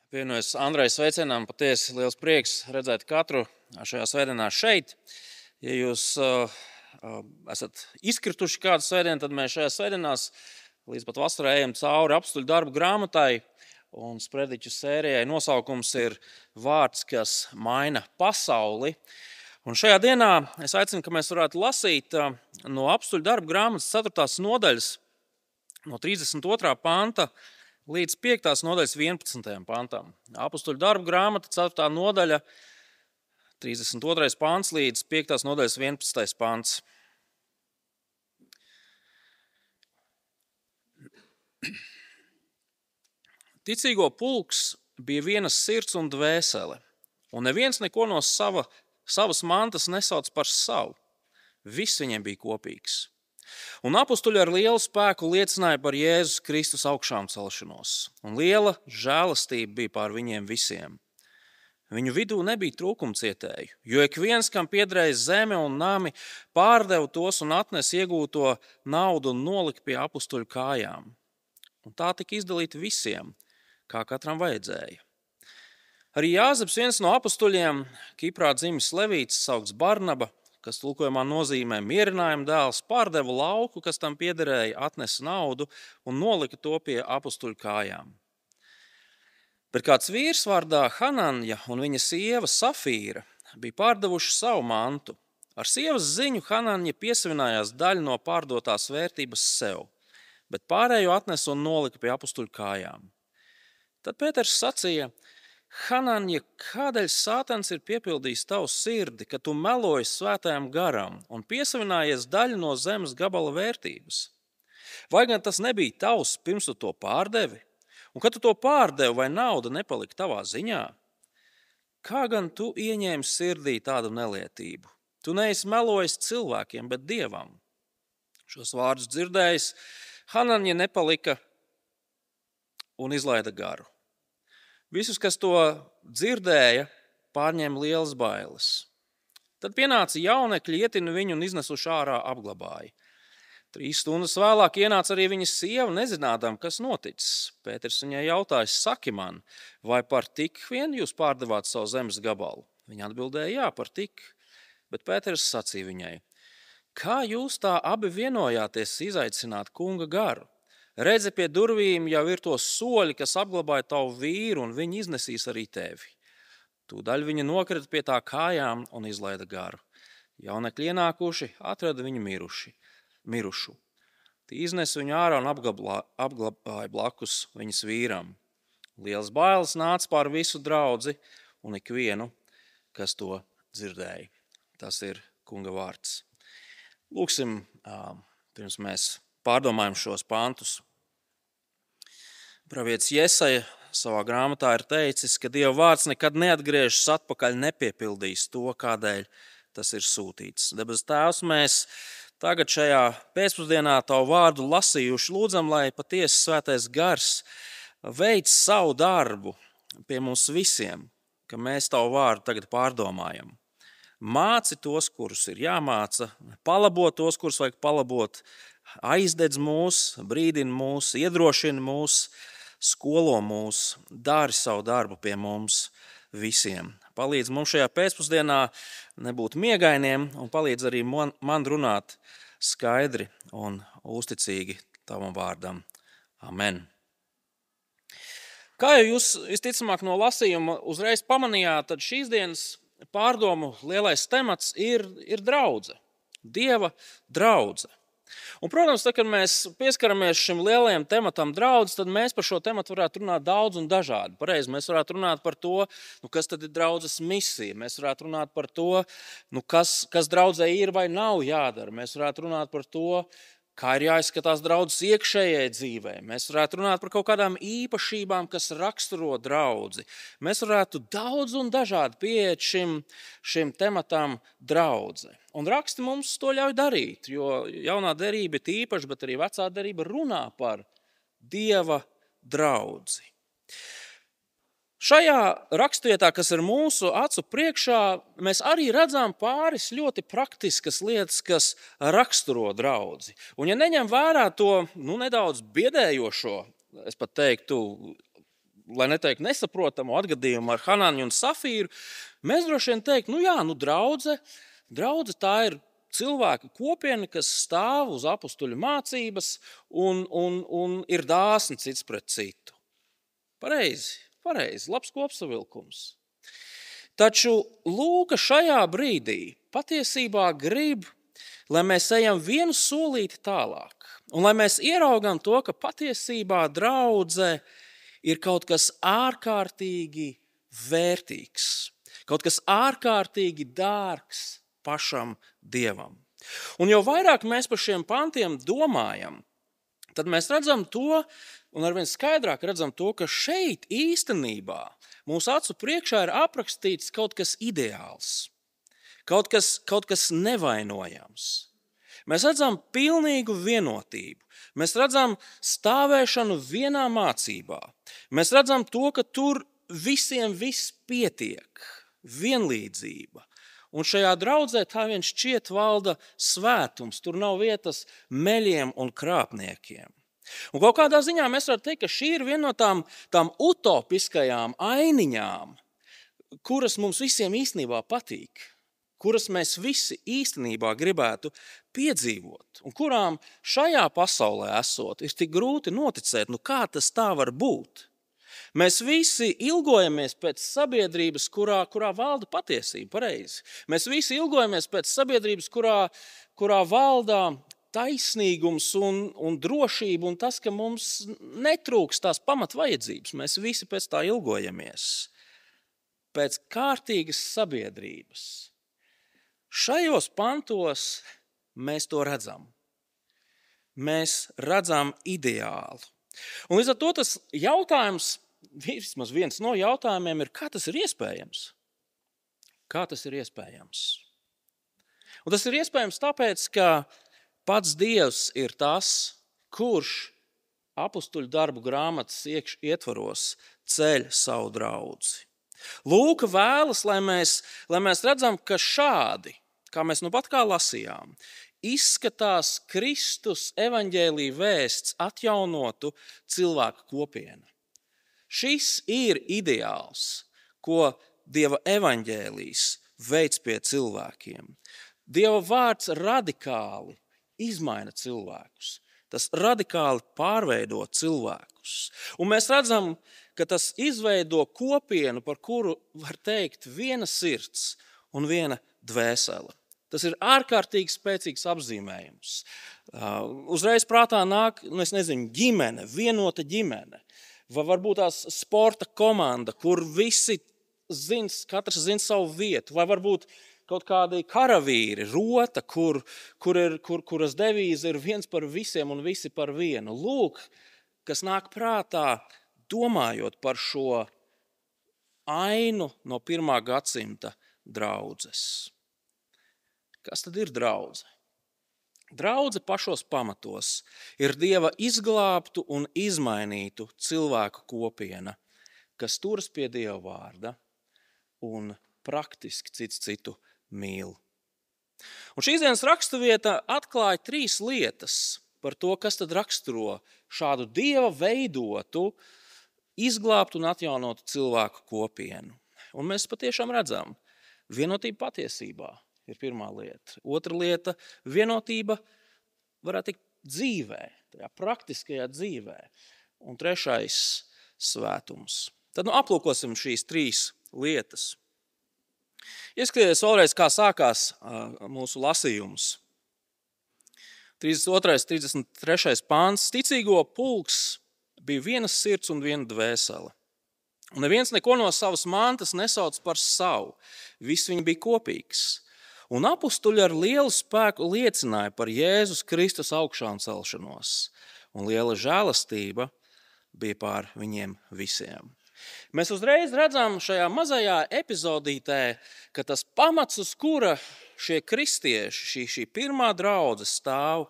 Pievienojos Andreja sveicienām, patiesi liels prieks redzēt katru šajā svētdienā šeit. Ja jūs esat izkrituši kādu svētdienu, tad mēs šajā svētdienās līdz pat vasarai ejam cauri apstuļu darbu grāmatai, un sprediķu sērijai nosaukums ir Vārds, kas maina pasauli. Un šajā dienā es aicinu, ka mēs varētu lasīt no apstuļu darbu grāmatas 4. nodaļas, no 32. panta, līdz 5. nodaļas 11. pantam. Apostuļu darbu grāmata, 4. nodaļa, 32. pants līdz 5. nodaļas 11. pants. Ticīgo pulks bija vienas sirds un dvēsele, un neviens neko no savas mantas nesauc par savu. Viss viņiem bija kopīgs. Un apostuļi ar lielu spēku liecināja par Jēzus Kristus augšām celšanos, un liela žēlastība bija pār viņiem visiem. Viņu vidū nebija trūkumcietēju, jo ik viens, kam piederēja zeme un nami, pārdeva tos un atnes iegūto naudu un nolika pie apostuļu kājām. Un tā tika izdalīta visiem, kā katram vajadzēja. Arī Jāzeps, viens no apostuļiem, Kiprā dzimis levīts, saukts Barnaba, kas tulkojumā nozīmē mierinājuma dēls, pārdeva lauku, kas tam piederēja, atnesa naudu un nolika to pie apostuļu kājām. Bet kāds vīrs vārdā Hananja un viņa sieva Safīra bija pārdevuši savu mantu. Ar sievas ziņu Hananja piesavinājās daļu no pārdotās vērtības sev, bet pārējo atnesa un nolika pie apostuļu kājām. Tad Pēters sacīja: Hananja, kādēļ Sātans ir piepildījis tavu sirdi, ka tu meloji svētajam garam un piesavinājies daļu no zemes gabala vērtības? Vai gan tas nebija tavs, pirms tu to pārdevi? Un kad tu to pārdevi, vai nauda nepalika tavā ziņā? Kā gan tu ieņēmi sirdī tādu nelietību? Tu neesi melojis cilvēkiem, bet Dievam. Šos vārdus dzirdējis, Hananja nepalika un izlaida garu. Visus, kas to dzirdēja, pārņēma lielas bailes. Tad pienāca jaunekļi, ietina viņu un iznesuši ārā apglabāja. 3 stundas vēlāk ienāca arī viņa sieva, nezinādām, kas noticis. Pēters viņai jautāja: saki man, vai par tik vien jūs pārdevāt savu zemes gabalu? Viņa atbildēja: jā, par tik. Bet Pēters sacīja viņai: kā jūs tā abi vienojāties izaicināt kunga garu? Redzi, pie durvīm jau ir tos soļi, kas apglabāja tavu vīru, un viņi iznesīs arī tevi. Tūdaļ viņa nokrita pie tā kājām un izlaida garu. Jaunekļi ienākuši, atrada viņu mirušu. Tie iznesa viņu ārā un apglabāja blakus viņas vīram. Liels bailes nāca pār visu draudzi un ikvienu, kas to dzirdēja. Tas ir kunga vārds. Lūksim, pirms mēs pārdomājam šos pantus. Pravietis Jesaja savā grāmatā ir teicis, ka Dieva vārds nekad neatgriežas atpakaļ, nepiepildīs to, kādēļ tas ir sūtīts. Debes Tēvs, mēs tagad šajā pēcpusdienā tavu vārdu lasījuši, lūdzam, lai patiesi svētais gars veic savu darbu pie mums visiem, ka mēs tavu vārdu tagad pārdomājam. Māci tos, kurus ir jāmāca, palabo tos, kurus vajag palabot, aizdedz mūs, brīdina mūs, iedrošina mūs, skolo mūs, dari savu darbu pie mums visiem. Palīdz mums šajā pēcpusdienā nebūt miegainiem un palīdz arī man runāt skaidri un uzticīgi tavam vārdam. Amen. Kā jau jūs visticamāk no lasījuma uzreiz pamanījāt, tad šīs dienas pārdomu lielais temats ir draudze, Dieva draudze. Un, protams, tad, kad mēs pieskaramies šim lielajam tematam draudz, tad mēs par šo tematu varētu runāt daudz un dažādi. Pareizi, mēs varētu runāt par to, kas tad ir draudzes misija. Mēs varētu runāt par to, kas draudzē ir vai nav jādara. Mēs varētu runāt par to, kā ir jāizskatās draudzes iekšējai dzīvē. Mēs varētu runāt par kaut kādām īpašībām, kas raksturo draudzi. Mēs varētu daudz un dažādi pieiet šim tematam draudze. Un raksti mums to ļauj darīt, jo jaunā derība ir īpaša, bet arī vecā derība runā par Dieva draudzi. Šajā rakstvietā, kas ir mūsu acu priekšā, mēs arī redzam pāris ļoti praktiskas lietas, kas raksturo draudzi. Un ja neņem vērā to nedaudz biedējošo, es pat teiktu, lai neteikt nesaprotamu atgadījumu ar Hanāņu un Safīru, mēs droši vien teikt, draudze tā ir cilvēka kopiena, kas stāv uz apustuļu mācības un ir dāsni cits pret citu. Pareizi, labs kopsavilkums. Taču Lūka šajā brīdī patiesībā grib, lai mēs ejam vienu solīti tālāk. Un lai mēs ieraugam to, ka patiesībā draudze ir kaut kas ārkārtīgi vērtīgs, kaut kas ārkārtīgi dārgs pašam Dievam. Un jo vairāk mēs par šiem pantiem domājam, tad mēs redzam to, un arvien skaidrāk redzam to, ka šeit īstenībā mūsu acu priekšā ir aprakstīts kaut kas ideāls, kaut kas nevainojams. Mēs redzam pilnīgu vienotību. Mēs redzam stāvēšanu vienā mācībā. Mēs redzam to, ka tur visiem viss pietiek, vienlīdzība. Un šajā draudzē tā vien šķiet valda svētums. Tur nav vietas meļiem un krāpniekiem. Un kaut kādā ziņā mēs varam teikt, ka šī ir viena no tām utopiskajām ainiņām, kuras mums visiem īstenībā patīk, kuras mēs visi īstenībā gribētu piedzīvot, un kurām šajā pasaulē esot, ir tik grūti noticēt, kā tas tā var būt. Mēs visi ilgojamies pēc sabiedrības, kurā valda patiesība, pareizi. Mēs visi ilgojamies pēc sabiedrības, kurā valda taisnīgums un drošība, un tas, ka mums netrūks tās pamatvajadzības. Mēs visi pēc tā ilgojamies. Pēc kārtīgas sabiedrības. Šajos pantos mēs to redzam. Mēs redzam ideālu. Un līdz ar to tas jautājums, vismaz viens no jautājumiem ir, kā tas ir iespējams? Kā tas ir iespējams? Un tas ir iespējams tāpēc, ka pats Dievs ir tas, kurš apustuļu darbu grāmatas ietvaros ceļ savu draudzi. Lūka vēlas, lai mēs redzam, ka šādi, kā mēs nu pat kā lasījām, izskatās Kristus evaņģēlija vēsts atjaunotu cilvēku kopienu. Šis ir ideāls, ko Dieva evaņģēlijs veids pie cilvēkiem. Dieva vārds radikāli izmaina cilvēkus. Tas radikāli pārveido cilvēkus. Un mēs redzam, ka tas izveido kopienu, par kuru var teikt viena sirds un viena dvēsele. Tas ir ārkārtīgi spēcīgs apzīmējums. Uzreiz prātā nāk, ģimene, vienota ģimene. Vai varbūt tās sporta komanda, kur visi katrs zina savu vietu. Vai varbūt kaut kādi karavīri, rota, kuras devīze ir viens par visiem un visi par vienu. Lūk, kas nāk prātā, domājot par šo ainu no 1. gadsimta draudzes. Kas tad ir draudze? Draudze pašos pamatos ir Dieva izglābtu un izmainītu cilvēku kopiena, kas turas pie Dieva vārda un praktiski cits citu mīl. Un šīs dienas raksturvieta atklāja 3 lietas par to, kas tad raksturo šādu Dieva veidotu, izglābtu un atjaunotu cilvēku kopienu. Un mēs patiešām redzam, vienotība patiesībā ir pirmā lieta. Otra lieta – vienotība varētu teikt dzīvē, tajā praktiskajā dzīvē. Un trešais – svētums. Tad aplūkosim šīs 3 lietas. Ieskaties vēlreiz, kā sākās mūsu lasījums. 32. 33. pāns. Ticīgo pulks bija vienas sirds un viena dvēsele. Un neviens neko no savas mantas nesauc par savu. Viss viņi bija kopīgs. Un apustuļi ar lielu spēku liecināja par Jēzus Kristus augšām celšanos. Un liela žēlastība bija pār viņiem visiem. Mēs uzreiz redzam šajā mazajā epizodītē, ka tas pamats, uz kura šie kristieši, šī pirmā draudze stāv,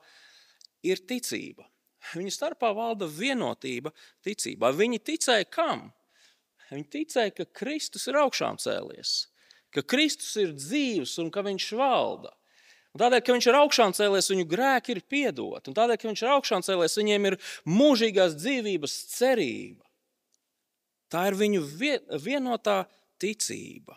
ir ticība. Viņu starpā valda vienotība ticībā. Viņi ticēja kam? Viņi ticēja, ka Kristus ir augšām cēlies, ka Kristus ir dzīvs un ka viņš valda. Un tādēļ, ka viņš ir augšām cēlies, viņu grēki ir piedoti. Un tādēļ, ka viņš ir augšām cēlies, viņiem ir mūžīgās dzīvības cerība. Tā ir viņu vienotā ticība.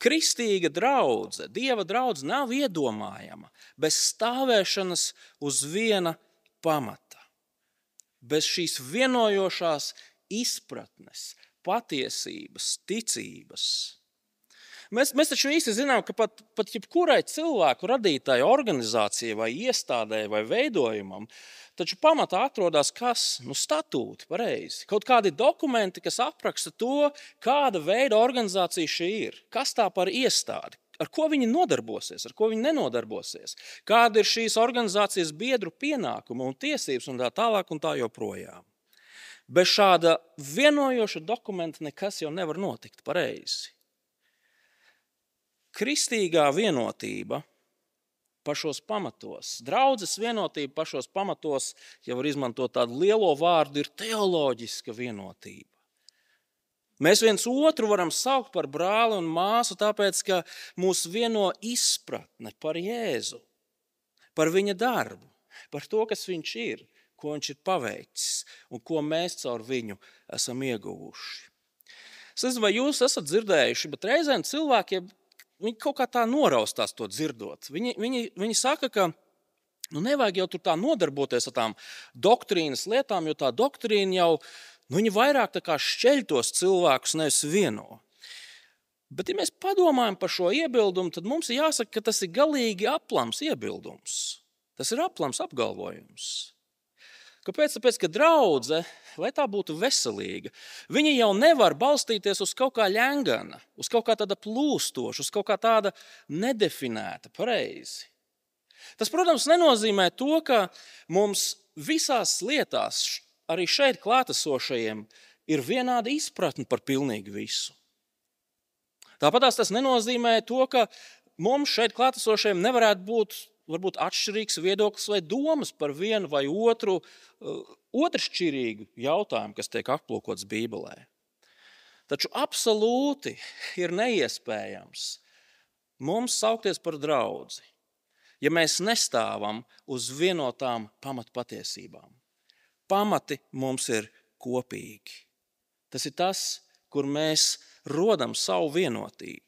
Kristīga draudze, Dieva draudze nav iedomājama bez stāvēšanas uz viena pamata, bez šīs vienojošās izpratnes, patiesības, ticības. Mēs taču visi zinām, ka pat jebkurai cilvēku radītāji organizācijai vai iestādē vai veidojumam, taču pamatā atrodas kas? Statūti, pareizi. Kaut kādi dokumenti, kas apraksta to, kāda veida organizācija šī ir. Kas tā par iestādi? Ar ko viņi nodarbosies, ar ko viņi nenodarbosies? Kāda ir šīs organizācijas biedru pienākuma un tiesības un tā tālāk un tā joprojām. Bez šāda vienojoša dokumenta nekas jau nevar notikt, pareizi. Kristīgā vienotība pašos pamatos, draudzes vienotība pašos pamatos, ja var izmantot tādu lielo vārdu, ir teoloģiska vienotība. Mēs viens otru varam saukt par brāli un māsu, tāpēc, ka mūs vieno izpratne par Jēzu, par viņa darbu, par to, kas viņš ir, ko viņš ir paveicis un ko mēs caur viņu esam ieguvuši. Es nezinu, vai jūs esat dzirdējuši, bet reizēm cilvēkiem viņi kaut kā tā noraustās to dzirdot. Viņi saka, ka nevajag jau tur tā nodarboties ar tām doktrīnas lietām, jo tā doktrīna jau viņi vairāk tā kā šķeļ tos cilvēkus, nevis vieno. Bet, ja mēs padomājam par šo iebildumu, tad mums ir jāsaka, ka tas ir galīgi aplams iebildums. Tas ir aplams apgalvojums. Kāpēc? Tāpēc, ka draudze, lai tā būtu veselīga, viņa jau nevar balstīties uz kaut kā ļengana, uz kaut kā tāda plūstoša, uz kaut kā tāda nedefinēta, pareizi. Tas, protams, nenozīmē to, ka mums visās lietās, arī šeit klātesošajiem, ir vienāda izpratne par pilnīgi visu. Tāpat tas nenozīmē to, ka mums šeit klātesošajiem nevarētu būt varbūt atšķirīgs viedoklis vai domas par vienu vai otru otršķirīgu jautājumu, kas tiek aplūkots Bībelē. Taču absolūti ir neiespējams mums saukties par draudzi, ja mēs nestāvam uz vienotām pamatpatiesībām. Pamati mums ir kopīgi. Tas ir tas, kur mēs rodam savu vienotību.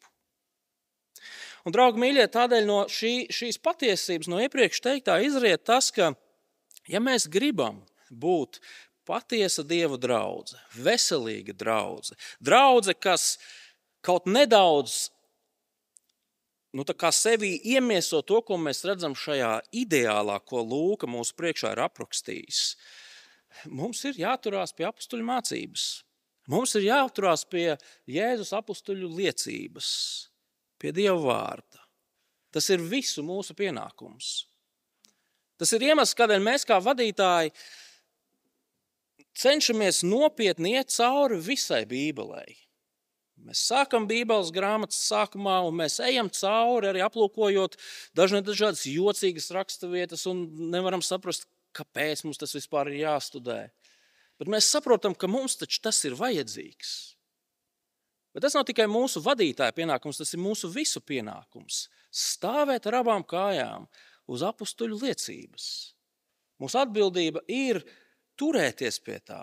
Un, draugi mīļie, tādēļ no šīs patiesības, no iepriekš teiktā izriet tas, ka, ja mēs gribam būt patiesa Dieva draudze, veselīga draudze, draudze, kas kaut nedaudz tā kā sevī iemieso to, ko mēs redzam šajā ideālā, ko Lūka mūsu priekšā ir aprakstījis, mums ir jāturās pie apustuļu mācības. Mums ir jāturās pie Jēzus apustuļu liecības, pie Dieva vārda. Tas ir visu mūsu pienākums. Tas ir iemesls, kādēļ mēs kā vadītāji cenšamies nopietni iet cauri visai Bībelei. Mēs sākam Bībeles grāmatas sākumā un mēs ejam cauri, arī aplūkojot dažādas jocīgas raksturvietas un nevaram saprast, kāpēc mums tas vispār ir jāstudē. Bet mēs saprotam, ka mums taču tas ir vajadzīgs. Bet tas nav tikai mūsu vadītāja pienākums, tas ir mūsu visu pienākums. Stāvēt ar abām kājām uz apustuļu liecības. Mūsu atbildība ir turēties pie tā.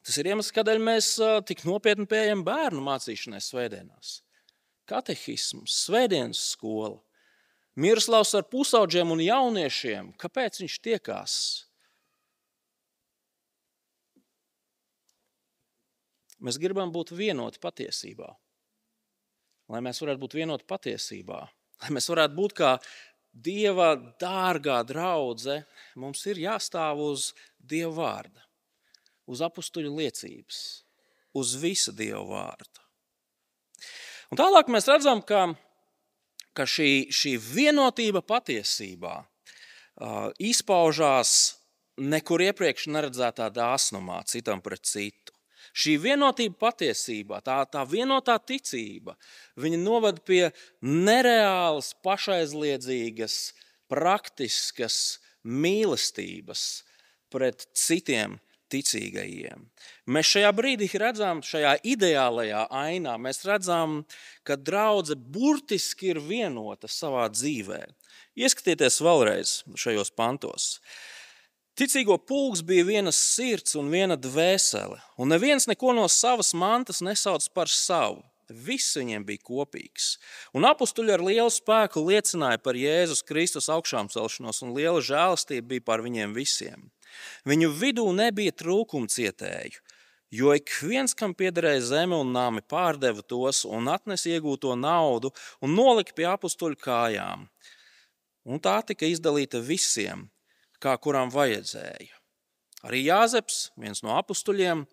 Tas ir iemesls, kādēļ mēs tik nopietni pieejam bērnu mācīšanai svētdienās. Katehisms, svētdienas skola, Miroslavs ar pusaudžiem un jauniešiem. Kāpēc viņš tiekās? Mēs gribam būt vienoti patiesībā. Lai mēs varētu būt vienoti patiesībā, lai mēs varētu būt kā Dieva dārgā draudze, mums ir jāstāv uz Dieva vārda, uz apustuļu liecības, uz visa Dieva vārda. Un tālāk mēs redzam, ka šī vienotība patiesībā izpaužās nekur iepriekš neredzētā dāsnumā citam pret citu. Šī vienotība patiesībā, tā vienotā ticība, viņa novada pie nereālas, pašaizliedzīgas, praktiskas mīlestības pret citiem ticīgajiem. Mēs šajā brīdī redzam, šajā ideālajā ainā, mēs redzam, ka draudze burtiski ir vienota savā dzīvē. Ieskatieties vēlreiz šajos pantos. Ticīgo pulks bija viena sirds un viena dvēsele, un neviens neko no savas mantas nesauc par savu. Viss viņiem bija kopīgs. Un apustuļi ar lielu spēku liecināja par Jēzus Kristus augšām celšanos, un liela žēlastība bija par viņiem visiem. Viņu vidū nebija trūkumcietēju, jo ik viens, kam piederēja zeme un nami, pārdeva tos un atnesa iegūto naudu un nolika pie apustuļu kājām. Un tā tika izdalīta visiem, kā kuram vajadzēja. Arī Jāzeps, viens no apustuļiem,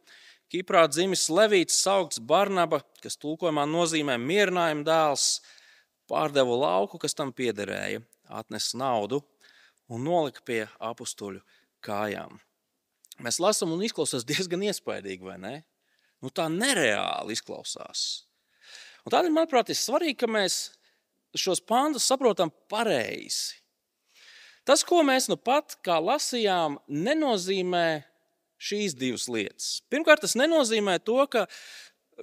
Kiprā dzimis Levīts saukts Barnaba, kas tulkojumā nozīmē mierinājuma dēls, pārdeva lauku, kas tam piederēja, atnesa naudu un nolika pie apustuļu kājām. Mēs lasām un izklausās diezgan iespaidīgi, vai ne? Tā nereāli izklausās. Un tādēļ, manuprāt, ir svarīgi, ka mēs šos pantus saprotam pareizi. Tas, ko mēs pat kā lasījām, nenozīmē šīs divas lietas. Pirmkārt, tas nenozīmē to, ka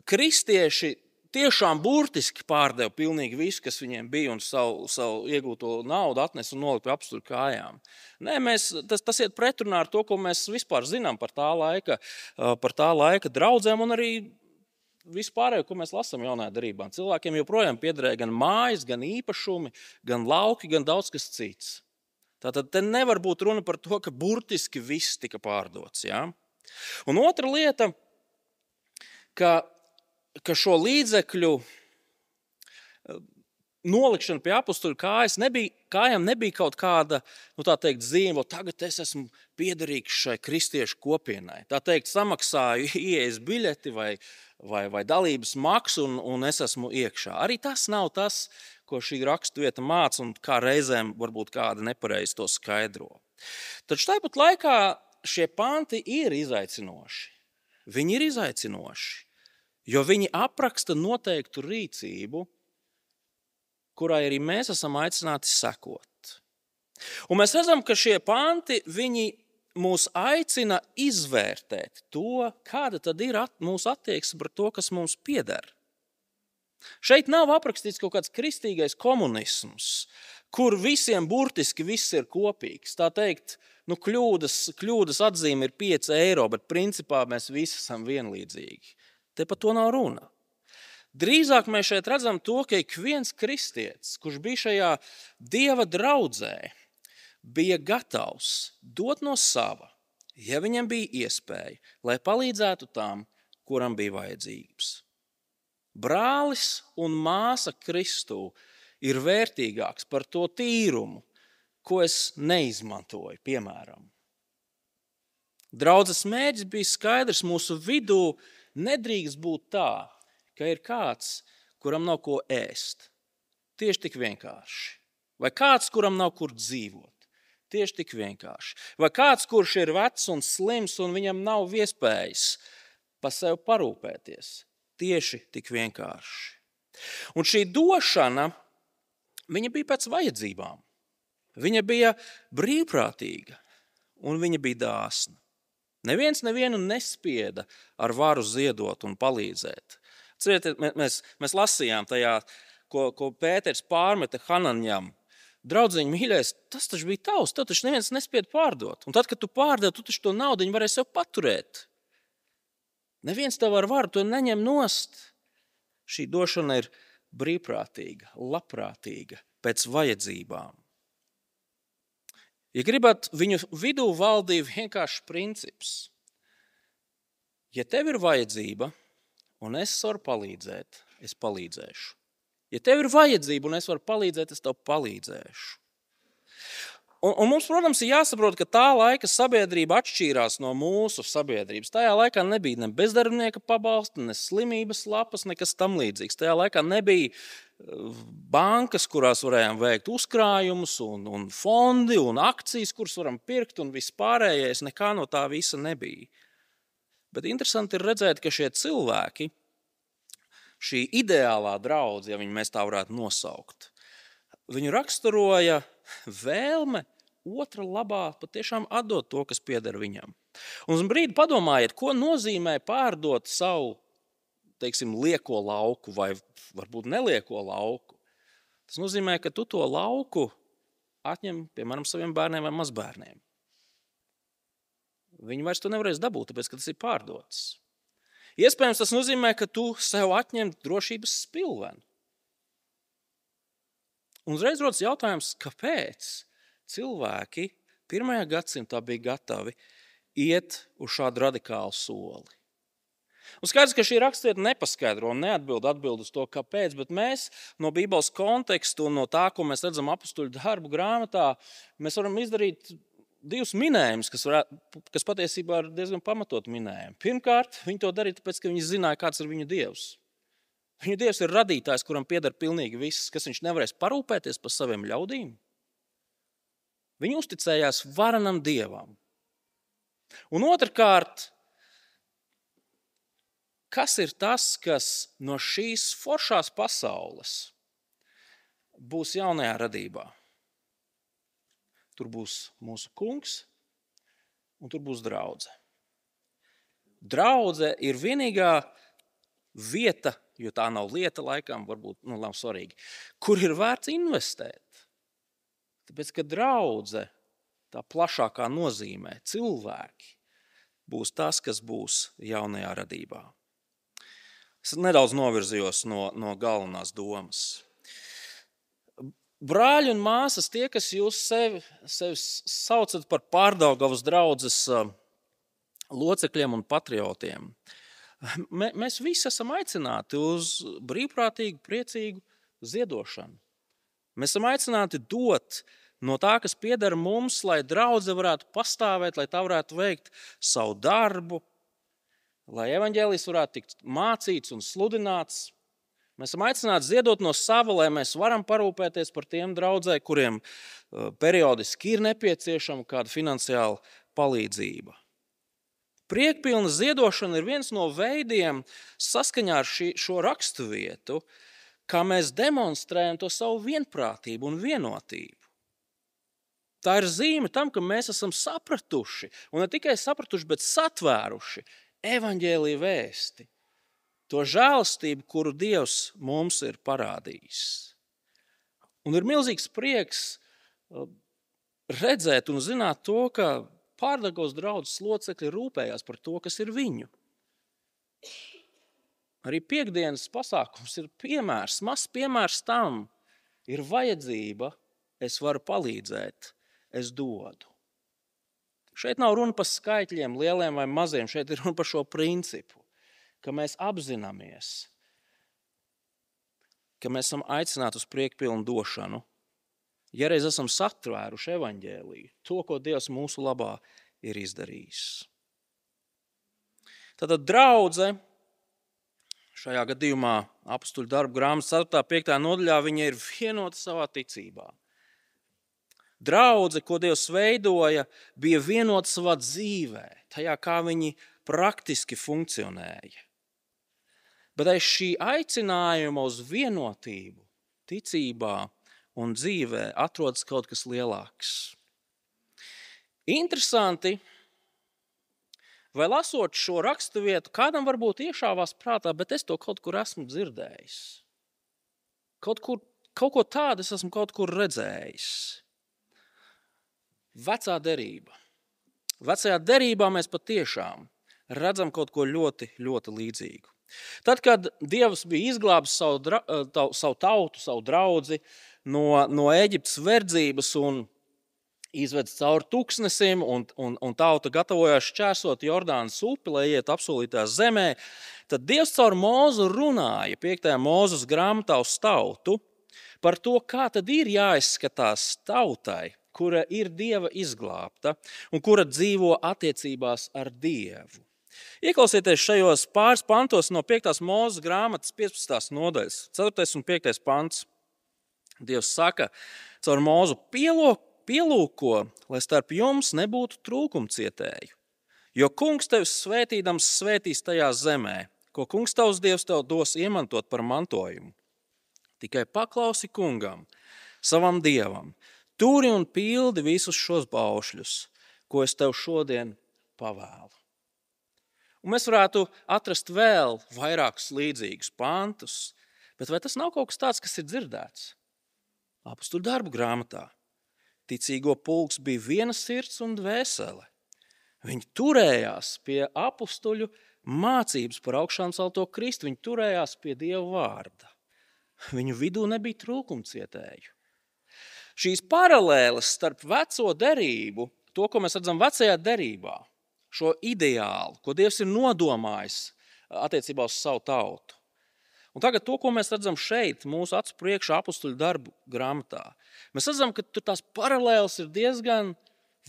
kristieši tiešām burtiski pārdeva pilnīgi visu, kas viņiem bija, un savu iegūto naudu atnesa un nolika pie apustuļu kājām. Nē, tas iet pretrunā ar to, ko mēs vispār zinām par tā laika draudzēm un arī vispārējo, ko mēs lasām jaunajā darbā. Cilvēkiem joprojām piederēja gan mājas, gan īpašumi, gan lauki, gan daudz kas cits. Tātad te nevar būt runa par to, ka burtiski viss tika pārdots. Ja? Un otra lieta, ka šo līdzekļu nolikšana pie apustuļu kājām nebija kaut kāda, tā teikt, zīme, tagad es esmu piederīgs šai kristiešu kopienai. Tā teikt, samaksāju ieejas biļeti vai dalības maksu un es esmu iekšā. Arī tas nav tas, ko šī raksturvieta māca un kā reizēm varbūt kāda nepareizi to skaidro. Taču tāpat laikā šie panti ir izaicinoši. Viņi ir izaicinoši, jo viņi apraksta noteiktu rīcību, kurai arī mēs esam aicināti sekot. Un mēs redzam, ka šie panti, viņi mūs aicina izvērtēt to, kāda tad ir mūsu attieksme par to, kas mums pieder. Šeit nav aprakstīts kaut kāds kristīgais komunisms, kur visiem burtiski viss ir kopīgs. Tā teikt, kļūdas atzīme ir 5 eiro, bet principā mēs visi esam vienlīdzīgi. Te par to nav runa. Drīzāk mēs šeit redzam to, ka ik viens kristietis, kurš bija šajā Dieva draudzē, bija gatavs dot no sava, ja viņam bija iespēja, lai palīdzētu tam, kuram bija vajadzības. Brālis un māsa Kristū ir vērtīgāks par to tīrumu, ko es neizmantoju, piemēram. Draudzes mērķis bija skaidrs, mūsu vidū nedrīkst būt tā, ka ir kāds, kuram nav ko ēst. Tieši tik vienkārši. Vai kāds, kuram nav kur dzīvot. Tieši tik vienkārši. Vai kāds, kurš ir vecs un slims un viņam nav iespējas pa sevi parūpēties. Tieši tik vienkārši. Un šī došana, viņa bija pēc vajadzībām. Viņa bija brīvprātīga un viņa bija dāsna. Neviens nevienu nespieda ar varu ziedot un palīdzēt. Cietiet, mēs lasījām tajā, ko Pēters pārmeta Hananjam. Draudziņ, mīļais, tas taču bija tavs, tev taču neviens nespieda pārdot. Un tad, kad tu pārdevi, tu taču to naudiņu varēsi sev paturēt. Neviens tev ar varu to neņem nost. Šī došana ir brīvprātīga, labprātīga, pēc vajadzībām. Ja gribat, viņu vidū valdīja vienkāršs princips. Ja tev ir vajadzība un es varu palīdzēt, es palīdzēšu. Ja tev ir vajadzība un es varu palīdzēt, es tev palīdzēšu. Un mums, protams, ir jāsaprot, ka tā laika sabiedrība atšķīrās no mūsu sabiedrības. Tajā laikā nebija ne bezdarbnieka pabalsta, ne slimības lapas, nekas tam līdzīgs. Tajā laikā nebija bankas, kurās varējām veikt uzkrājumus un fondi un akcijas, kuras varam pirkt un viss pārējais. Nekā no tā visa nebija. Bet interesanti ir redzēt, ka šie cilvēki, šī ideālā draudze, ja mēs tā varētu nosaukt, viņu raksturoja vēlme otra labā patiešām atdot to, kas pieder viņam. Un uz brīdi padomājiet, ko nozīmē pārdot savu, teiksim, lieko lauku vai varbūt nelieko lauku. Tas nozīmē, ka tu to lauku atņem, piemēram, saviem bērniem vai mazbērniem. Viņi vairs to nevarēs dabūt, tāpēc, ka tas ir pārdots. Iespējams, tas nozīmē, ka tu sev atņem drošības spilvenu. Un uzreiz rodas jautājums, kāpēc cilvēki 1. gadsimtā bija gatavi iet uz šādu radikālu soli. Un skaidrs, ka šī rakstvieta nepaskaidro un neatbild uz to, kāpēc, bet mēs no Bībeles kontekstu un no tā, ko mēs redzam Apostuļu darbu grāmatā, mēs varam izdarīt 2 minējumus, kas patiesībā ir diezgan pamatot minējumi. Pirmkārt, viņi to darīja tāpēc, ka viņi zināja, kāds ir viņu Dievs. Viņu Dievs ir radītājs, kuram pieder pilnīgi viss, kas viņš nevarēs parūpēties par saviem ļaudīm. Viņi uzticējās varenam Dievam. Un otrkārt, kas ir tas, kas no šīs foršās pasaules būs jaunajā radībā? Tur būs mūsu kungs un tur būs draudze. Draudze ir vienīgā vieta, jo tā nav lieta laikam, varbūt nav svarīgi, kur ir vērts investēt. Tāpēc, ka draudze, tā plašākā nozīmē, cilvēki, būs tas, kas būs jaunajā radībā. Es nedaudz novirzījos no galvenās domas. Brāļi un māsas, tie, kas jūs sevi saucat par Pārdaugavas draudzes locekļiem un patriotiem, mēs visi esam aicināti uz brīvprātīgu, priecīgu ziedošanu. Mēs esam aicināti dot no tā, kas pieder mums, lai draudze varētu pastāvēt, lai tā varētu veikt savu darbu, lai evaņģēlijs varētu tikt mācīts un sludināts. Mēs esam aicināti ziedot no sava, lai mēs varam parūpēties par tiem draudzē, kuriem periodiski ir nepieciešama kāda finansiāla palīdzība. Priekpilna ziedošana ir viens no veidiem saskaņā ar šo raksturvietu, kā mēs demonstrējam to savu vienprātību un vienotību. Tā ir zīme tam, ka mēs esam sapratuši, un ne tikai sapratuši, bet satvēruši evaņģēlija vēsti. To žēlastību, kuru Dievs mums ir parādījis. Un ir milzīgs prieks redzēt un zināt to, ka Pārdaugavas draudzes locekļi rūpējās par to, kas ir viņu. Arī piektdienas pasākums ir piemērs, mazs piemērs tam. Ir vajadzība, es varu palīdzēt, es dodu. Šeit nav runa par skaitļiem, lieliem vai maziem, šeit ir runa par šo principu, ka mēs apzināmies, ka mēs esam aicināti uz priekpilnu došanu, ja reiz esam satvēruši evaņģēliju, to, ko Dievs mūsu labā ir izdarījis. Tātad draudze, šajā gadījumā Apostuļu darbu grāmatas 4. 5. nodaļā, viņa ir vienota savā ticībā. Draudze, ko Dievs veidoja, bija vienota savā dzīvē, tajā, kā viņi praktiski funkcionēja. Bet aiz šī aicinājuma uz vienotību, ticībā un dzīvē atrodas kaut kas lielāks. Interesanti, vai lasot šo raksturvietu, kādam varbūt iešāvās prātā, bet es to kaut kur esmu dzirdējis. Kaut ko tādu es esmu kaut kur redzējis. Vecā derība. Vecajā derībā mēs patiešām redzam kaut ko ļoti, ļoti līdzīgu. Tad, kad Dievs bija izglābis savu tautu, savu draudzi no Ēģiptes verdzības un izvedis cauri tūkstnesim, un tauta gatavojās šķērsot Jordānas upi, lai iet apsolītā zemē, tad Dievs caur Mūzu runāja 5. Mūzes grāmatā uz tautu par to, kā tad ir jāizskatās tautai, kura ir Dieva izglābta un kura dzīvo attiecībās ar Dievu. Ieklausieties šajos pāris pantos no 5. Mūzes grāmatas 15. nodaļas, 4. un 5. pants. Dievs saka, caur Mūzu pielūko, lai starp jums nebūtu trūkumcietēju. Jo kungs tevis svētīdams svētīs tajā zemē, ko kungs tavs Dievs tev dos iemantot par mantojumu. Tikai paklausi kungam, savam Dievam, turi un pildi visus šos baušļus, ko es tev šodien pavēlu. Un mēs varētu atrast vēl vairākus līdzīgus pantus, bet vai tas nav kaut kas tāds, kas ir dzirdēts? Apostuļu darbu grāmatā. Ticīgo pulks bija viena sirds un dvēsele. Viņi turējās pie apustuļu mācības par augšām celto Kristu. Viņi turējās pie Dieva vārda. Viņu vidū nebija trūkumcietēju. Šīs paralēles starp veco derību, to, ko mēs redzam vecajā derībā, šo ideālu, ko Dievs ir nodomājis attiecībā uz savu tautu. Un tagad to, ko mēs redzam šeit, mūsu acu priekšā apustuļu darbu grāmatā, mēs redzam, ka tur tās paralēles ir diezgan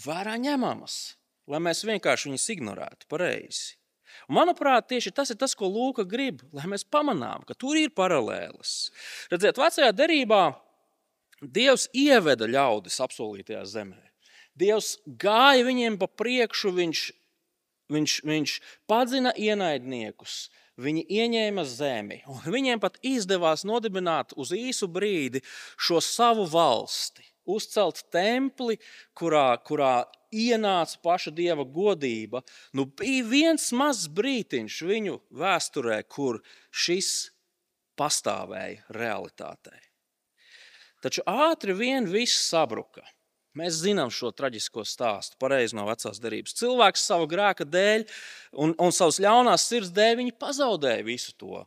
vērā ņemamas, lai mēs vienkārši viņus ignorētu pareizi. Un manuprāt, tieši tas ir tas, ko Lūka grib, lai mēs pamanām, ka tur ir paralēles. Redziet, vecajā derībā Dievs ieveda ļaudis apsolītajā zemē. Dievs gāja viņiem pa priekšu, viņš padzina ienaidniekus, viņi ieņēma zemi, un viņiem pat izdevās nodibināt uz īsu brīdi šo savu valsti, uzcelt templi, kurā ienāca paša Dieva godība. Bija viens mazs brītiņš viņu vēsturē, kur šis pastāvēja realitātei. Taču ātri vien viss sabruka. Mēs zinām šo traģisko stāstu pareizi no vecās derības. Cilvēks savu grēka dēļ un savas ļaunās sirds dēļ viņi pazaudēja visu to.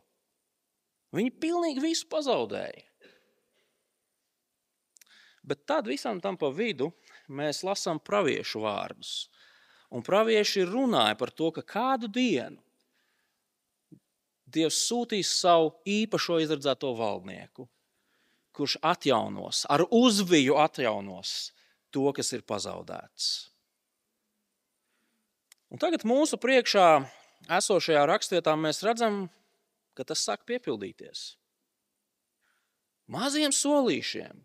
Viņi pilnīgi visu pazaudēja. Bet tad visam tam pa vidu mēs lasām praviešu vārdus. Un pravieši runāja par to, ka kādu dienu Dievs sūtīs savu īpašo izredzēto valdnieku, kurš atjaunos, ar uzviju atjaunos to, kas ir pazaudēts. Un tagad mūsu priekšā esošajā rakstvietā mēs redzam, ka tas sāk piepildīties. Maziem solīšiem,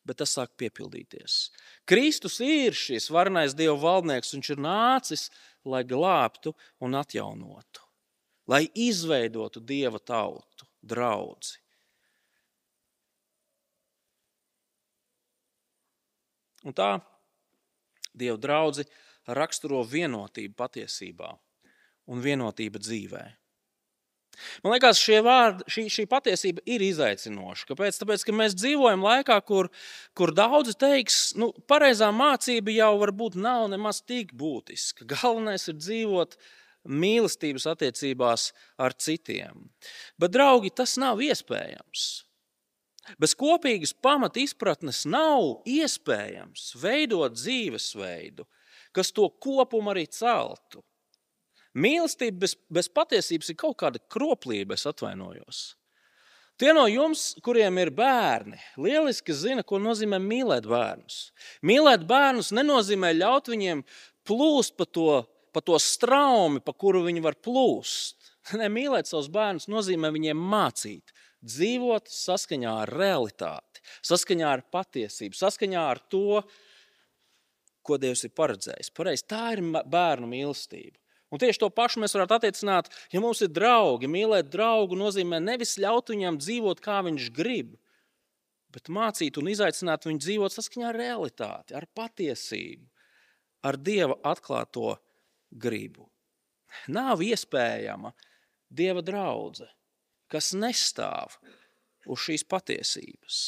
bet tas sāk piepildīties. Kristus ir šis varenais Dieva valdnieks, viņš ir nācis, lai glābtu un atjaunotu, lai izveidotu Dieva tautu, draudzi. Un tā Dieva draudzi raksturo vienotību patiesībā un vienotība dzīvē. Man liekas, šī patiesība ir izaicinoša. Kāpēc? Tāpēc, ka mēs dzīvojam laikā, kur daudzi teiks, pareizā mācība jau varbūt nav nemaz tik būtiska. Galvenais ir dzīvot mīlestības attiecībās ar citiem. Bet, draugi, tas nav iespējams. Bez kopīgas pamata izpratnes nav iespējams veidot dzīvesveidu, kas to kopumu arī celtu. Mīlestība bez patiesības ir kaut kāda kroplība, es atvainojos. Tie no jums, kuriem ir bērni, lieliski zina, ko nozīmē mīlēt bērnus. Mīlēt bērnus nenozīmē ļaut viņiem plūst pa to straumi, pa kuru viņi var plūst. Mīlēt savus bērnus nozīmē viņiem mācīt, dzīvot saskaņā ar realitāti, saskaņā ar patiesību, saskaņā ar to, ko Dievs ir paredzējis. Pareizi, tā ir bērnu mīlestība. Un tieši to pašu mēs varētu attiecināt, ja mums ir draugi. Mīlēt draugu nozīmē nevis ļaut viņam dzīvot, kā viņš grib, bet mācīt un izaicināt viņu dzīvot saskaņā ar realitāti, ar patiesību, ar Dieva atklāto gribu. Nav iespējama Dieva draudze, kas nestāv uz šīs patiesības.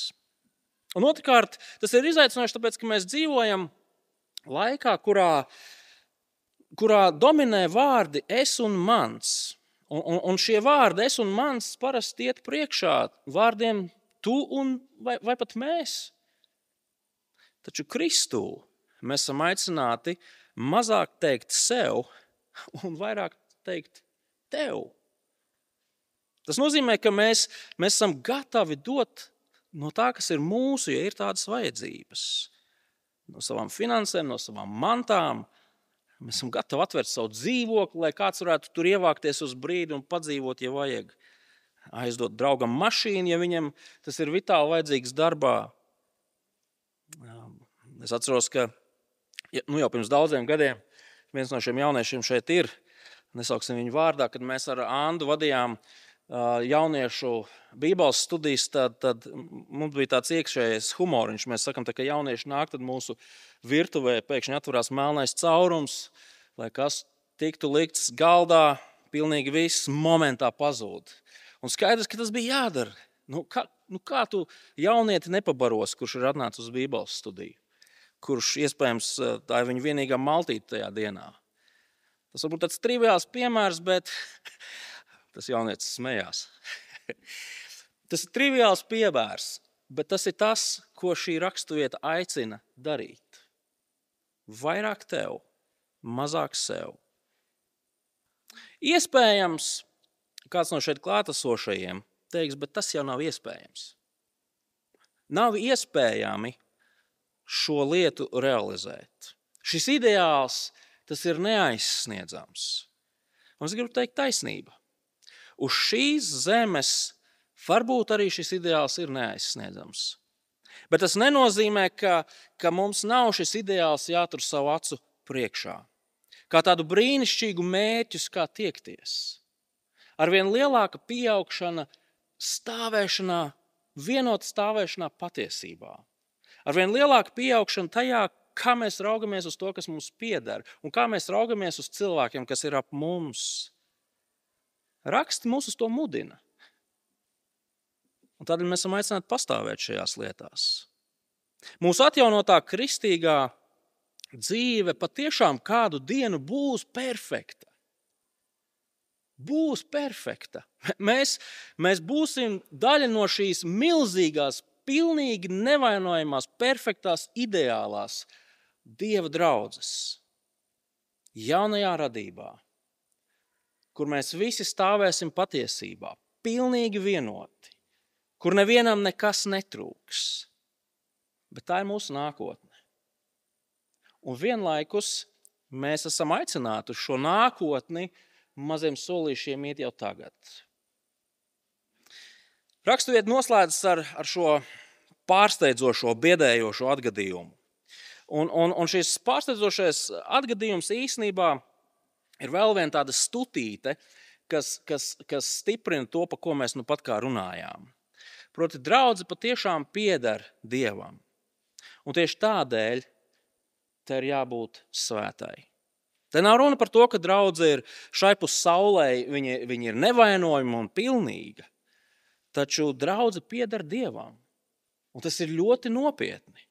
Un otrkārt, tas ir izaicinoši, tāpēc, ka mēs dzīvojam laikā, kurā dominē vārdi es un mans. Un šie vārdi es un mans parasti iet priekšā vārdiem tu un vai pat mēs. Taču Kristū mēs esam aicināti mazāk teikt sev un vairāk teikt tev. Tas nozīmē, ka mēs esam gatavi dot no tā, kas ir mūsu, ja ir tādas vajadzības. No savām finansēm, no savām mantām. Mēs esam gatavi atvērt savu dzīvokli, lai kāds varētu tur ievākties uz brīdi un padzīvot, ja vajag. Aizdot draugam mašīnu, ja viņam tas ir vitāli vajadzīgs darbā. Es atceros, ka jau pirms daudziem gadiem viens no šiem jauniešiem šeit ir, nesauksim viņu vārdā, kad mēs ar Andu vadījām jauniešu bībeles studijas, tad mums bija tāds iekšējais humoriņš. Mēs sakam, ka jaunieši nāk, tad mūsu virtuvē pēkšņi atverās melnais caurums, lai kas tiktu likts galdā, pilnīgi viss momentā pazūd. Un skaidrs, ka tas bija jādara. Kā tu jaunieti nepabaros, kurš ir atnācis uz bībeles studiju? Kurš iespējams tā ir viņa vienīgā maltīte tajā dienā. Tas varbūt tāds triviāls piemērs, bet tas jaunietis smējās. Tas ir triviāls piemērs, bet tas ir tas, ko šī raksturvieta aicina darīt. Vairāk tev, mazāk sev. Iespējams, kāds no šeit klātesošajiem teiks, bet tas jau nav iespējams. Nav iespējami šo lietu realizēt. Šis ideāls, tas ir neaizsniedzams. Un es gribu teikt taisnība. Uz šīs zemes varbūt arī šis ideāls ir neaizsniedzams. Bet tas nenozīmē, ka mums nav šis ideāls jātur savu acu priekšā. Kā tādu brīnišķīgu mērķus, kā tiekties. Arvien lielāka pieaugšana stāvēšanā, vienota stāvēšanā patiesībā. Arvien lielāka pieaugšana tajā, kā mēs raugamies uz to, kas mums pieder, un kā mēs raugamies uz cilvēkiem, kas ir ap mums. Raksti mūs uz to mudina. Un tādēļ mēs esam aicināti pastāvēt šajās lietās. Mūsu atjaunotā kristīgā dzīve patiešām kādu dienu būs perfekta. Būs perfekta. Mēs būsim daļa no šīs milzīgās, pilnīgi nevainojamās, perfektās, ideālās Dieva draudzes. Jaunajā radībā, kur mēs visi stāvēsim patiesībā, pilnīgi vienoti, kur nevienam nekas netrūks. Bet tā ir mūsu nākotne. Un vienlaikus mēs esam aicināti uz šo nākotni maziem solīšiem iet jau tagad. Raksturvieta noslēdzas ar šo pārsteidzošo, biedējošo atgadījumu. Un šis pārsteidzošais atgadījums īstenībā ir vēl viena tāda stutīte, kas stiprina to, pa ko mēs nu pat kā runājām. Proti, draudze patiešām pieder Dievam. Un tieši tādēļ te ir jābūt svētai. Te nav runa par to, ka draudze ir šaipus saulē, viņa ir nevainojama un pilnīga. Taču draudze pieder Dievam. Un tas ir ļoti nopietni.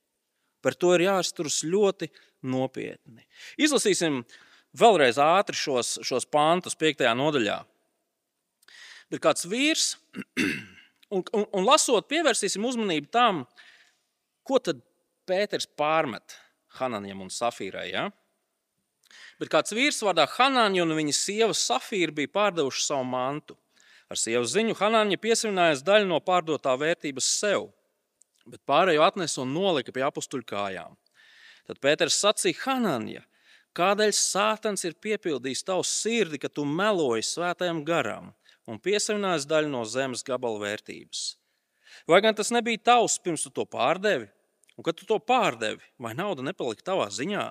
Par to ir jāizturas ļoti nopietni. Izlasīsim vēlreiz ātri šos pantus 5. nodaļā. Bet kāds vīrs, un lasot, pievērsīsim uzmanību tam, ko tad Pēters pārmet Hananjam un Safīrai. Ja? Bet kāds vīrs vārdā Hananja un viņa sieva Safīra bija pārdevuši savu mantu. Ar sievas ziņu Hananja piesavinājās daļu no pārdotā vērtības sev, bet pārējo atnesa un nolika pie apustuļu kājām. Tad Pēters sacīja: Hananja, kādēļ Sātans ir piepildījis tavu sirdi, ka tu meloji svētajam garam un piesavinājies daļu no zemes gabala vērtības? Vai gan tas nebija tavs, pirms tu to pārdevi? Un kad tu to pārdevi, vai nauda nepalika tavā ziņā?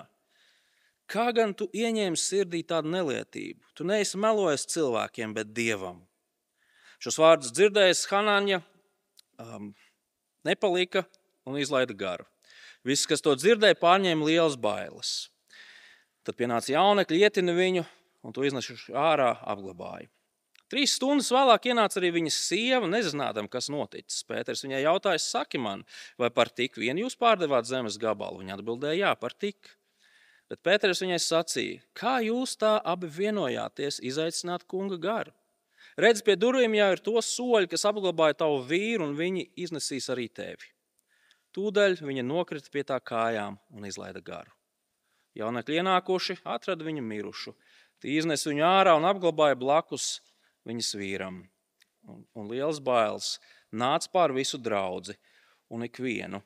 Kā gan tu ieņēmi sirdī tādu nelietību? Tu neesi melojis cilvēkiem, bet Dievam. Šos vārdus dzirdējis Hananja nepalika un izlaida garu. Visi, kas to dzirdēja, pārņēma lielas bailes. Tad pienāca jaunekļi, ietina viņu un to iznesuši ārā apglabāja. 3 stundas vēlāk ienāca arī viņas sieva, nezinādam, kas noticis. Pēters viņai jautāja: saki man, vai par tik vien jūs pārdevāt zemes gabalu? Viņa atbildēja: jā, par tik. Bet Pēters viņai sacīja: kā jūs tā abi vienojāties izaicināt kunga garu? Redz, pie durvīm jau ir to soļi, kas apglabāja tavu vīru, un viņi iznesīs arī tevi. Tūdaļ viņa nokrita pie tā kājām un izlaida garu. Jaunekļi ienākuši atrada viņu mirušu. Tie iznes viņu ārā un apglabāja blakus viņas vīram. Un liels bailes nāca pār visu draudzi un ikvienu,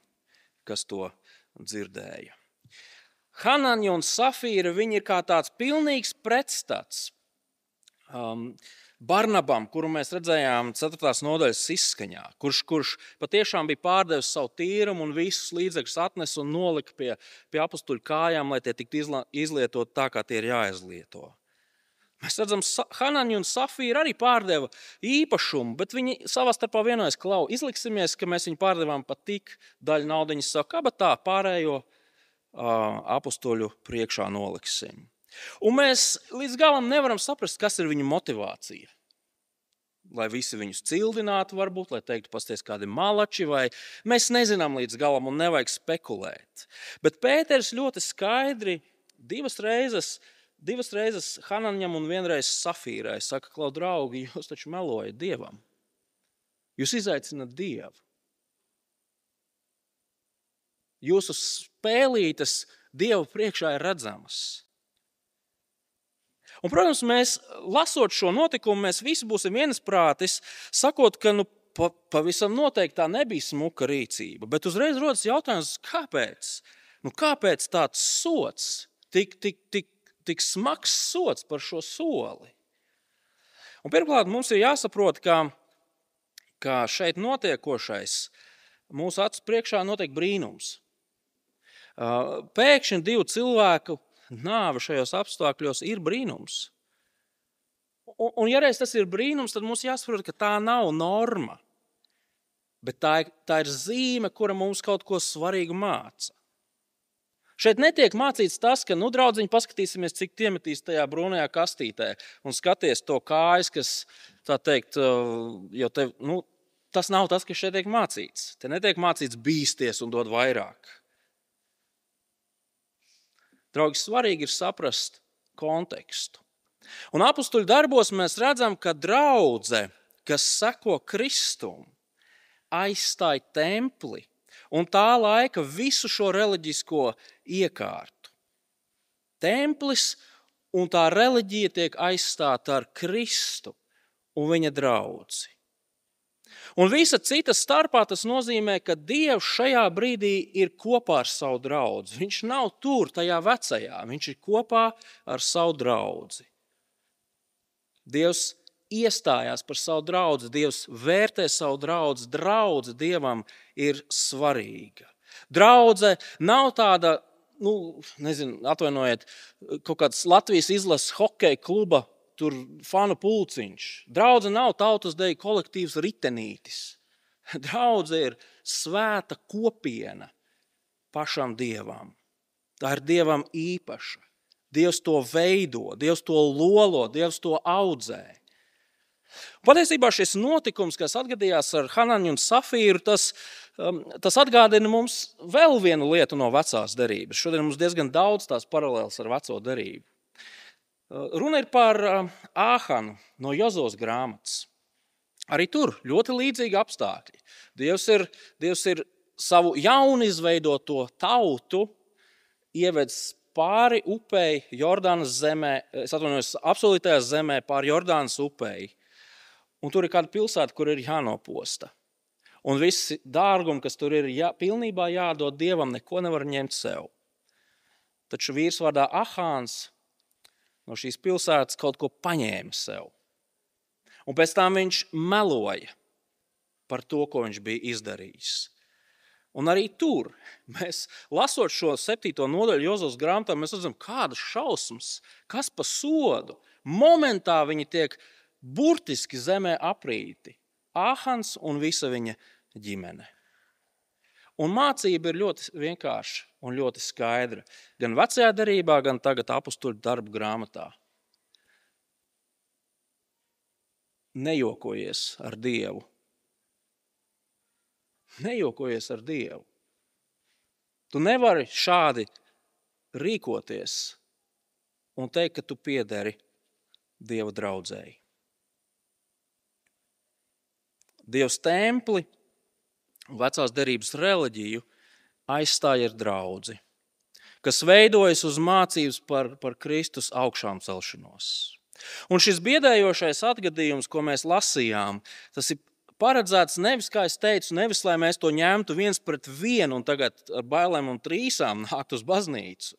kas to dzirdēja. Hananja un Safīra, viņi ir kā tāds pilnīgs pretstats Barnabam, kuru mēs redzējām 4. nodaļas izskaņā, kurš patiešām bija pārdevis savu tīrumu un visus līdzekļus atnesa un nolika pie apustuļu kājām, lai tie tiktu izlietot tā, kā tie ir jāizlieto. Mēs redzam, Hananja un Safīra arī pārdeva īpašumu, bet viņi savā starpā vienojas: klau, izliksimies, ka mēs viņu pārdevām pat tik daļu naudiņas savu kabatā, pārējo apustuļu priekšā noliksim. Un mēs līdz galam nevaram saprast, kas ir viņu motivācija. Lai visi viņus cildinātu varbūt, lai teiktu: pasties kādi malači, vai mēs nezinām līdz galam un nevajag spekulēt. Bet Pēters ļoti skaidri 2 reizes 2 reizes Hananjam un 1 reizi Safīrai saka, klau draugi, jūs taču melojat Dievam. Jūs izaicināt Dievu. Jūsu spēlītes Dievu priekšā ir redzamas. Un, protams, mēs, lasot šo notikumu, mēs visi būsim viensprātis, sakot, ka pavisam noteikti tā nebija smuka rīcība. Bet uzreiz rodas jautājums, kāpēc? Kāpēc tāds sots, tik smags sots par šo soli? Un pirmkārt, mums ir jāsaprot, ka šeit notiekošais mūsu acu priekšā notiek brīnums. Pēkšņi 2 cilvēku nāve šajos apstākļos ir brīnums. Un ja reiz tas ir brīnums, tad mums jāsaprot, ka tā nav norma. Bet tā ir zīme, kura mums kaut ko svarīgu māca. Šeit netiek mācīts tas, ka, draudziņi, paskatīsimies, cik iemetīs tajā brūnajā kastītē un skaties to kājas, kas, tā teikt, jo te, tas nav tas, kas šeit tiek mācīts. Te netiek mācīts bīsties un dod vairāk. Draugi, svarīgi ir saprast kontekstu. Un apustuļu darbos mēs redzam, ka draudze, kas seko Kristum, aizstāja templi un tā laika visu šo reliģisko iekārtu. Templis un tā reliģija tiek aizstāta ar Kristu un viņa draudzi. Un visa cita starpā tas nozīmē, ka Dievs šajā brīdī ir kopā ar savu draudzi. Viņš nav tur tajā vecajā, viņš ir kopā ar savu draudzi. Dievs iestājās par savu draudzi, Dievs vērtē savu draudzi, draudze Dievam ir svarīga. Draudze nav tāda, atvainojiet, kaut kāds Latvijas izlases hokeja kluba tur fanu pulciņš. Draudze nav tautas deju kolektīvs ritenītis. Draudze ir svēta kopiena pašam Dievam. Tā ir Dievam īpaša. Dievs to veido, Dievs to lolo, Dievs to audzē. Patiesībā šis notikums, kas atgadījās ar Hanani un Safīru, tas atgādina mums vēl vienu lietu no vecās derības. Šodien mums diezgan daudz tās paralēlas ar veco derību. Runa ir par Āhanu no Jozos grāmatas. Arī tur ļoti līdzīgi apstākļi. Dievs ir savu jaunizveidoto tautu ievedis pāri upei Jordānas zemē, apsolītajā zemē pāri Jordānas upei. Un tur ir kāda pilsēta, kur ir jānoposta. Un visi dārgumi, kas tur ir pilnībā jādod Dievam, neko nevar ņemt sev. Taču vīrs vārdā Ahāns no šīs pilsētas kaut ko paņēma sev. Un pēc tam viņš meloja par to, ko viņš bija izdarījis. Un arī tur, mēs lasot šo 7. nodaļu Jozos grāmatā, mēs redzam, kādas šausmas, kas pa sodu. Momentā viņi tiek burtiski zemē aprīti. Āhans un visa viņa ģimene. Un mācība ir ļoti vienkārša un ļoti skaidra. Gan vecajā derībā, gan tagad apustuļu darbu grāmatā. Nejokojies ar Dievu. Nejokojies ar Dievu. Tu nevari šādi rīkoties un teikt, ka tu piederi Dieva draudzēji. Dievs templi un vecās derības reliģiju aizstāja ar draudzi, kas veidojas uz mācības par Kristus augšām celšanos. Un šis biedējošais atgadījums, ko mēs lasījām, tas ir paredzēts nevis, kā es teicu, nevis, lai mēs to ņemtu 1-1 un tagad ar bailēm un trīsām nākt uz baznīcu.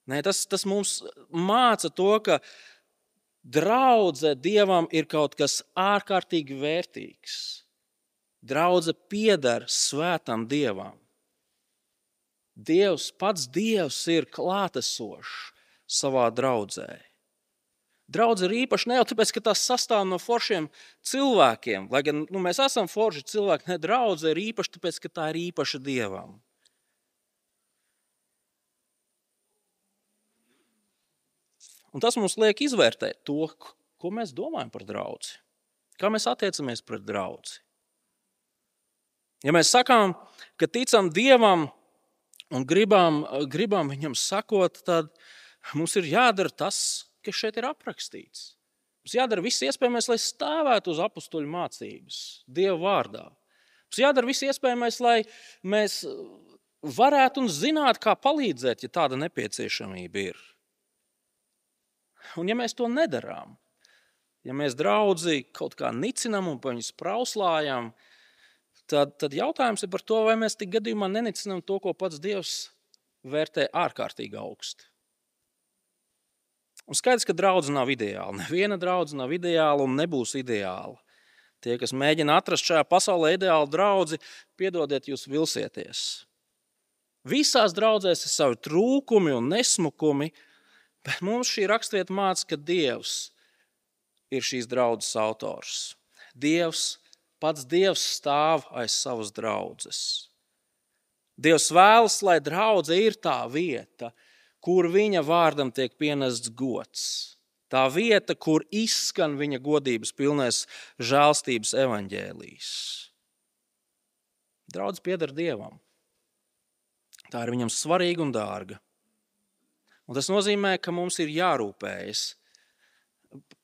Nē, tas mums māca to, ka draudze Dievam ir kaut kas ārkārtīgi vērtīgs. Draudze pieder svētam Dievam. Pats Dievs ir klātesošs savā draudzē. Draudze ir īpaši ne jau tāpēc, ka tās sastāv no foršiem cilvēkiem, lai gan mēs esam forši cilvēki, ne, draudze ir īpaši tāpēc, ka tā ir īpaša Dievam. Un tas mums liek izvērtēt to, ko mēs domājam par draudzi. Kā mēs attiecamies pret draudzi. Ja mēs sakām, ka ticam Dievam un gribam viņam sakot, tad Mums ir jādara tas, kas šeit ir aprakstīts. Mums jādara viss iespējamais, lai stāvētu uz apustuļu mācības, Dieva vārdā. Mums jādara viss iespējamais, lai mēs varētu un zinātu, kā palīdzēt, ja tāda nepieciešamība ir. Un ja mēs to nedarām, ja mēs draudzi kaut kā nicinam un pa viņus prauslājam, tad jautājums ir par to, vai mēs tik gadījumā nenicinam to, ko pats Dievs vērtē ārkārtīgi augsti. Un skaidrs, ka draudze nav ideāla. Neviena draudze nav ideāla un nebūs ideāla. Tie, kas mēģina atrast šajā pasaulē ideālu draudzi, piedodiet, jūs vilsieties. Visās draudzēs ir savi trūkumi un nesmukumi, bet mums šī rakstvieta māca, ka Dievs ir šīs draudzes autors. Pats Dievs stāv aiz savas draudzes. Dievs vēlas, lai draudze ir tā vieta, kur viņa vārdam tiek pienests gods. Tā vieta, kur izskan viņa godības pilnais žēlstības evaņģēlijs. Draudze pieder Dievam. Tā ir viņam svarīga un dārga. Un tas nozīmē, ka mums ir jārūpējas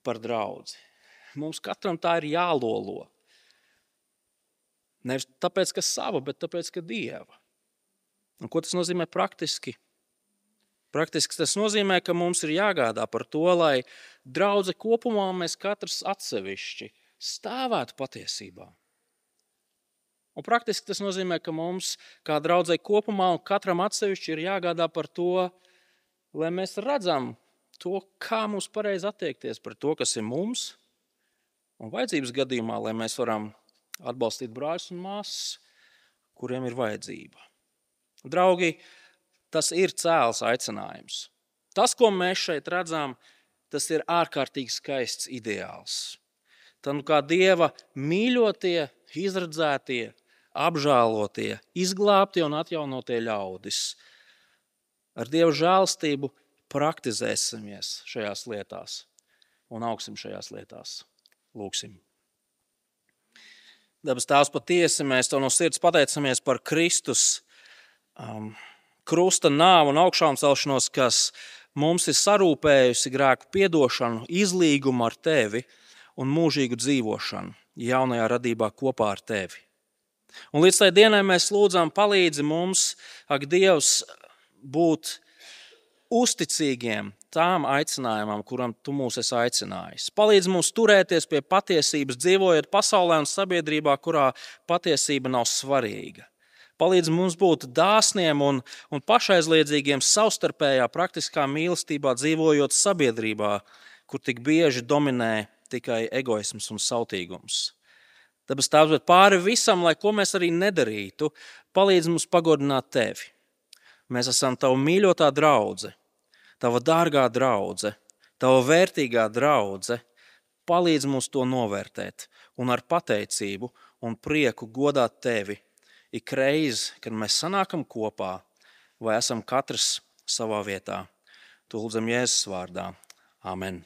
par draudzi. Mums katram tā ir jālolo. Nevis tāpēc, ka sava, bet tāpēc, ka Dieva. Un ko tas nozīmē praktiski? Praktiski tas nozīmē, ka mums ir jāgādā par to, lai draudze kopumā mēs katrs atsevišķi stāvētu patiesībā. Un praktiski tas nozīmē, ka mums kā draudzei kopumā un katram atsevišķi ir jāgādā par to, lai mēs redzam to, kā mums pareizi attiekties par to, kas ir mums, un vajadzības gadījumā, lai mēs varam atbalstīt brāļus un māsas, kuriem ir vajadzība. Draugi, tas ir cēls aicinājums. Tas, ko mēs šeit redzam, tas ir ārkārtīgi skaists ideāls. Tad kā Dieva mīļotie, izredzētie, apžēlotie, izglābtie un atjaunotie ļaudis. Ar Dieva žēlstību praktizēsimies šajās lietās un augsim šajās lietās. Lūksim. Debes Tēvs, patiesi mēs Tev no sirds pateicamies par Kristus krusta nāvu un augšām celšanos, kas mums ir sarūpējusi grēku piedošanu, izlīgumu ar Tevi un mūžīgu dzīvošanu jaunajā radībā kopā ar Tevi. Un līdz tai dienai mēs lūdzam palīdzi mums, ak Dievs, būt uzticīgiem tām aicinājumam, kuram Tu mūs esi aicinājis. Palīdzi mums turēties pie patiesības, dzīvojot pasaulē un sabiedrībā, kurā patiesība nav svarīga. Palīdz mums būt dāsniem un pašaizliedzīgiem savstarpējā praktiskā mīlestībā, dzīvojot sabiedrībā, kur tik bieži dominē tikai egoisms un sautīgums. Tāpēc Tēvs, bet pāri visam, lai ko mēs arī nedarītu, palīdz mums pagodināt Tevi. Mēs esam Tava mīļotā draudze, Tava dārgā draudze, Tava vērtīgā draudze. Palīdz mums to novērtēt un ar pateicību un prieku godāt Tevi. Ik reiz, kad mēs sanākam kopā, vai esam katrs savā vietā. To lūdzam Jēzus vārdā. Amen.